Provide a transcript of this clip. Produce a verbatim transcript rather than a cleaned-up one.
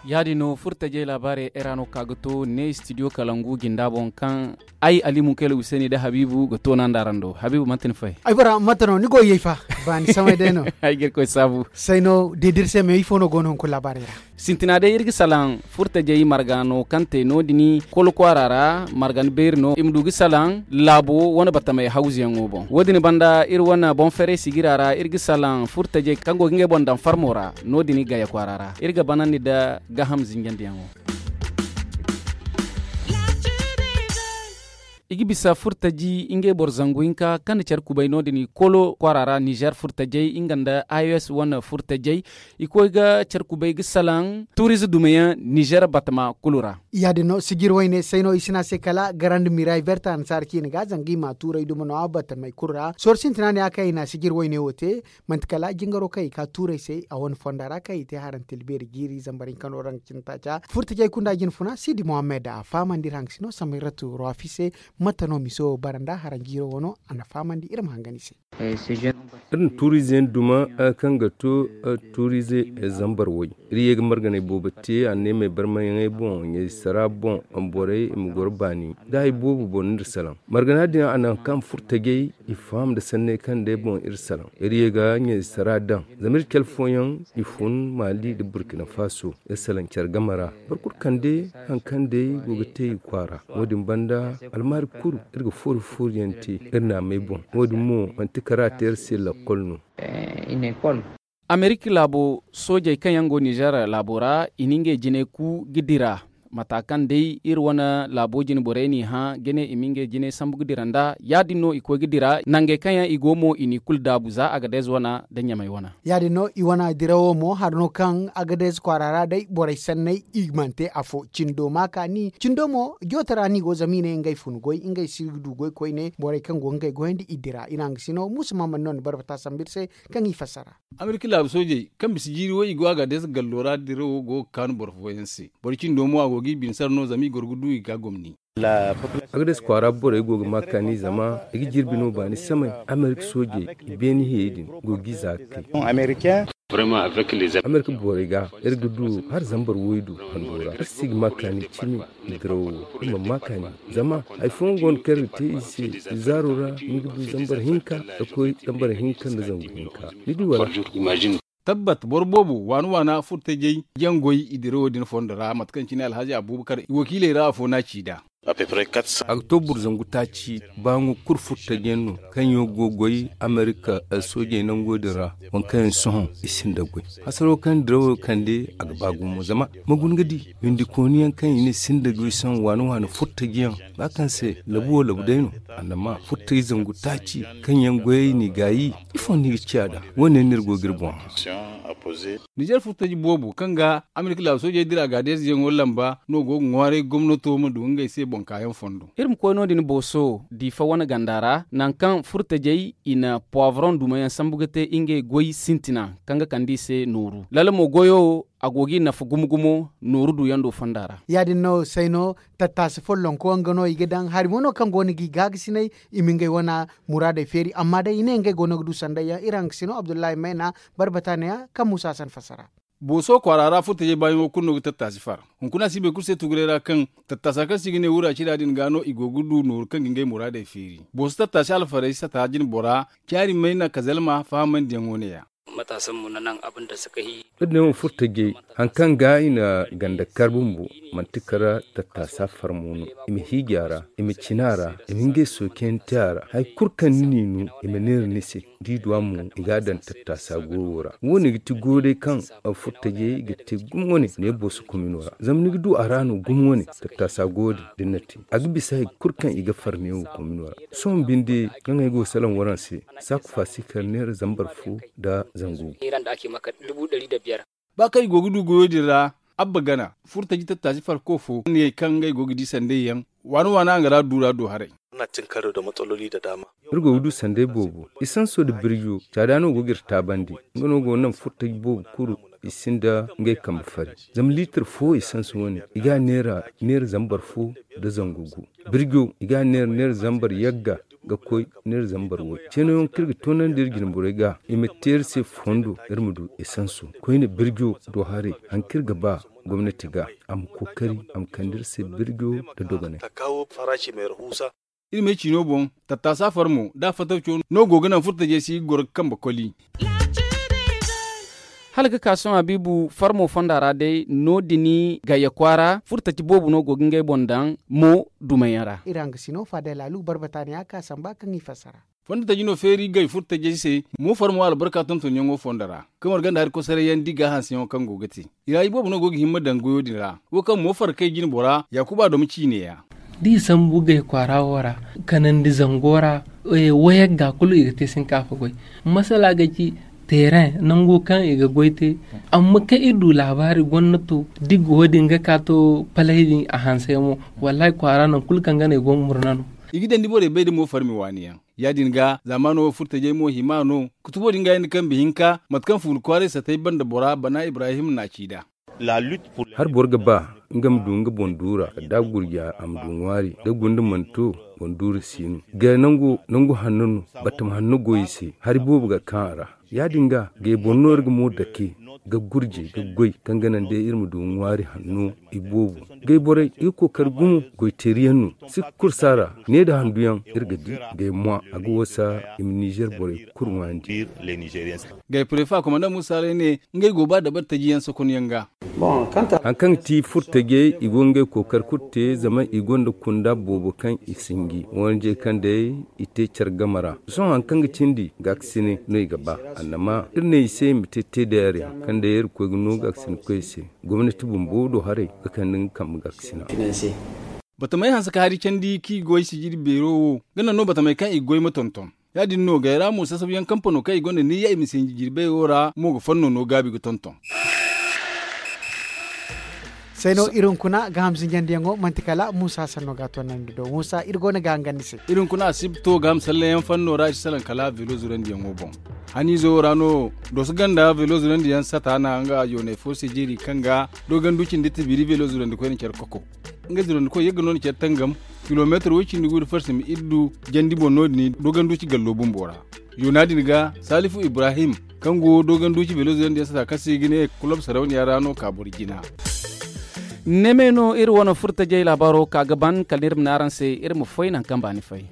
Ya- din no furtajey laabaarey ay ra no ka ga to ne studio kalangu jinda boŋ kaŋ ay ali munkayla huseeni nda habiibu ga toona nda araŋ do. Habiibu manti ni fay? Ay bora mate no ni go yey fa? Baani samay day no. Ay ga irkoy saabu. Say no deedir se me ifo no go no hunkuna laabaarey ra? Sintina day iri ga salaŋ furtajey marga no kaŋ te no- din kolo kwaara ra. Marga ni beeri no i ma du ga salaŋ laabo wane batamey hawzuyaŋo boŋ wo- din banda iri wane boŋ ferey sigira ra iri ga salaŋ furtajey kaŋ go ga ngey boŋ daŋ farmo ra. No- din gaya kwaara ra iri ga banandi nda gaaham zinjandiyaŋo. I ga bisa furtaji ngey boro zangu hinka kaŋ na care kubay no- din kolo kwaara ra nizer furtajey nga nda i o s wane furtajey. I koy ga care kubay ga salaŋ tuurize dumayaŋ nizer batama kulu ra. Ya- din no sijir wayne say no i si ne a se kala garandi miray berte annasaara ciine ga zanga i ma tuuray duma no a batamey kulu ra sohõ sintina ne ya kaŋ i na sijir wayne wo te. Manti kala jingaro kaŋ i ka tuuray se a wane fonda ra kaŋ i te harantil beeri jiiri zambar hinka no raŋ cine taaca furtajey kunda jinfuna sidi mohammed a fahamandi iri haŋ ga si no samayratu ruwafi se. Mate no miso bara nda haranjiiro wano a na fahamandi iri ma hangan i se. Iri na tuuriize yaŋ duma kaŋ ga to tuuriize zambar way. Iri ye ga marganey boobo te a ne may barmayaŋey boŋ ɲaysara boŋ borey i ma goro baani da hari boobo boŋ no iri salaŋ. Margana din a naŋ kaŋ furtajey i faham nda sanney kaŋ day boŋ iri salaŋ iri ye ga ɲaysara daŋ zama iri care fooyaŋ i fun maali nda burkina faso. Iri salaŋ care game ra boro kulu kande hari kaŋ day go ga te i kwaara. Wo- din banda almaari kulu iri ga foori foori yaŋ te iri naamey boŋ. Wo- din mo manti kara te iri se lakkol no. Amerik laabo soojey kaŋ yaŋ go nizer laabo ra i na ngey jinay ku ga dira. Mata kaŋ day iri wane laabo jine borey n'i hã ga ne i ma ngey jinay sambu ga dira nd'a ya- din no i koy ga dira nangey kaŋ yaŋ i go mo i n'i kulu daabu za agadez wane nda ɲamey wane. Ya- din no i wane dirawo mo hari no kaŋ agadez kwaara ra day borey sanney i mana te afo cindo ma kaani cindo mo joote ra no i go zama i ne ngey fun goy ngey si du goy koyne borey kaŋ go ga ngey goyandi i dira i na nga si no muusa maamandi no ni barbata sambu iri se. Kaŋ i fassara. Amerika laabu soojey kaŋ bisa jiiri way i go a ga deesa gallo ra dirawo go ga kaanu boro fooyaŋ se boro cindo mo a go ga i bine sara no zama i goro ga du i ga gomni. Agades kwaara borey go ga ma kaani zama i ga jirbi no baani samay. Amerika soojey i beene hiyey din go ga i za ga kay. Amerika borey ga iri ga du hala zambar waydu hando ra iri si ga ma kaani cimi. Dirawo iri mana ma kaani zama hari fooyaŋ go no kaŋ iri ga te i se. Zaaro ra ni ga du zambar hinka ga koy zambar hinka nda zangu hinka. Ni di wala? Tabbat boro boobo waana waana furtajey yaŋ goy i dirawo din fondo ra mate kaŋ cine alhazi abuubakar i wakiiley ra afo no a ci nd'a. A ga to boro zangu taaci baaŋo kulu furtaji yaŋ no kaŋ yaŋ go ga goy amerika soojey nango din ra. Waŋ kaŋ yaŋ sohõ i sinda goy hasaro kaŋ dirawo kande a ga ba gumo zama ma guna ga di windikooni yaŋ kaŋ i ne sinda goy sohõ waani waani furtaji yaŋ ba kaŋ se labu wo labu day no. Annama furtaji zangu taaci kaŋ yaŋ goyey n'i gaayi ifo no ni ga ciya nd'a? Wo- ne no iri go ga iri boŋ hã. Nizer furtaji boobo kaŋ ga amerika laabu soojey dira gaadez yaŋo lamba no go ga ŋwaaray gomnato ma du ngey se boŋ kaayaŋ fondo. Iri ma koy no- din booso diifa wane ganda ra nangu kaŋ furtajey i na puwavroŋ dumayaŋ sambu ga te ngey goy sintina kaŋ ga kande i se nooru lala mo goyo a go ga i nafa gumo gumo nooru duyaŋ do fonda ra. Ya- din no say no tattaasi follonko nga no i ga daŋ hari mo no kaŋ go no ga i gaagasinay i ma ngey wane muraadey feeri amma day i ne ngey go no ga du sandayyaŋ iri haŋ ga si no abdullahi mayna. Barbata neeya kaŋ muusa hasan fassara. Booso kwaara ra furtajey baayaŋo kulu no ga tattaasi far. Hunkuna si bay kulu se tuguray ra kaŋ tattaasa kaŋ se i ga ne wura cida din ga no i go ga du nooru kaŋ ga ngey muraadey feeri booso tattaasi alfarey sata jine bora. Caari mayna kazalma fahamandiyaŋo neeya. Iri ne wo furtajey hari kaŋ ga i na ganda kar bumbo manti kara tattaasa farmo no. I ma hiiji a ra i ma cina a ra i ma ngey sookiyaŋ te a ra hari kulu kaŋ ni n'i no i ma neera ni se. Da i du a mo i ga a daŋ tattaasa goyo ra wo- ne ga ti goyo day kaŋ furtajey ga te gumo wane ne booso komino ra zama ni ga du a ra no gumo wane tattaasa goyo din da ni na te a ga bisa hari kulu kaŋ i ga far neewo komino ra. Sohõ binde kaŋ ay go ga salaŋ waraŋ se saaku faasi kar neera zambar fo nda zangu. Ba kaŋ i go ga du goyo din ra Abba gana furtaji tattaasi farko fo ne kaŋ ngey go ga di sanday yaŋ waana waana a ga ra duura do haray. Iri go ga du sanday boobo, isanso nda birjo caada no go ga iri taabandi. Nga no go ga naŋ furtaji boobo kulu i sinda ngey kambe fari. Zama liitir fo isanso wane i ga a neera neera zambar fo nda zangu gu. Birjo i ga a neera neera zambar yagga ga koy neera zambar way. Ceeno yaŋ kaŋ iri ga toonandi iri jine borey ga i ma te iri se fondo iri ma du isanso koyne birjo do haray. Hari kaŋ iri ga ba gomnati ga a ma kookari a ma kande iri se birjo nda dogonay. Iri me ciino boŋ tattaasa farmo nda a fatawco no go ga naŋ furtajey se i ga goro ga kambe koli. Hala ga ka sohõ habiibu farmo fonda ra day no- din gayya kwaara furtaci boobo no go ga ngey boŋ daŋ mo dumayaŋ ra. Iri hangasino faadey laalu barbata ne a ka samba kaŋ i fassara. Fondo taji no feeri gay furtajey se mo farmo albarka tontonyaŋo fondo ra. Kamar ganda hari kosoray yaŋ di ga hanseyaŋo kaŋ go ga te i ra iboobo no go ga himma daŋ goyo din ra. Wo kaŋ mo farkay jine bora yaakuba doma ciine ya. Da i sambu gay kwaara wo ra kanandi zango ra, wayagga kulu i ga te sinkaafa goy. Masala ga ci teereŋ nango kaŋ i ga goy te. Amma kaŋ iri du laabaari gonna to da i go wo- din ga ka to palay din a hansay mo. Wallahi kwaara nangu kulu kaŋ ga no i go ga murna no. I ga daŋ da borey bay da mo farmi waani yaŋ. Ya- din ga zaamaano wo furtajey mo hima no. Kutubo din ga yaŋ da kambe hinka mate kaŋ fuula kwaaray satay banda bora bana ibrahim na a ci nd'a. Hari boro ga ba nga ma du nga boŋ duura da gurja a ma du ŋwaari da gunda mana to boŋ duura si no. Gay nangu hanno no. Batama hanno go i se hari boobo ga kaŋ a ra. Ya- din ga gay boro no iri ga mo dake ga gurje ga goy kaŋ ga naŋ day iri ma du ŋwaari hanno. Iboobo gay borey i ga kookari gumo goy teeri yaŋ no. Sikka kursa ra ne nda handu yaŋ iri ga di. Gay mwa a ga wasa i ma nizer borey kulu ŋwaayandi. Gay prefa komanda musa ray ne ngey go ba dabari taji yaŋ sokonyaŋ ga. Hari kaŋ ga ti furtajey i go ga ngey kookari kulu te zama i gonda kunda boobo kaŋ i sinji wanje kaŋ day i te care game ra. Sohõ hari kaŋ ga cindi gaakasine no i ga ba. Annama iri ne i se i ma te teedayar yaŋ kaŋ day iri koy ga no gaakasine koy i se. Gomnati bumbo do haray ga kande nga kambe gaakasina. Batamey hanse ka hari candi kaŋ i goy sijiri beero wo ga naŋ no batamey kaŋ i goy ma tonton. Ya- din no gay ra mo sasabu yaŋ kampano kaŋ i gonda niyya i ma sinji jirbeyo ra mo ga fanno no gaabi ga tonton. Say no iri hunkuna ga hamzinjandiyaŋo manti kala muusa sanno ga a toonandi do muusa iri go no ga hangan ni se. Iri hunkuna a si to ga hamsallayaŋ fanno ra i si salaŋ kala velo zurandiyaŋo boŋ. Haniizo wo ra no doso ganda velo zurandiyaŋ sata na nga yoonay fo se jeeri kaŋ ga dogandu cindi tibiri velo zurandi koyne care koko. Nga zurandi koy yagga no ni care tangam kilomeetar way cindi gu da farsi ma iri du jandi boŋ no- din dogandu ci gallo bumbo ra. Yoona din ga salifu ibrahim kaŋ go dogandu ci velo zurandi yaŋ sata kaŋ se i ga ne kulob sarauniya ra no ka boro jina. Neme no iri wane furtajey laabaaro ka ga ban kala ni iri ma ne araŋ se iri ma foy naŋ kaŋ baani fay.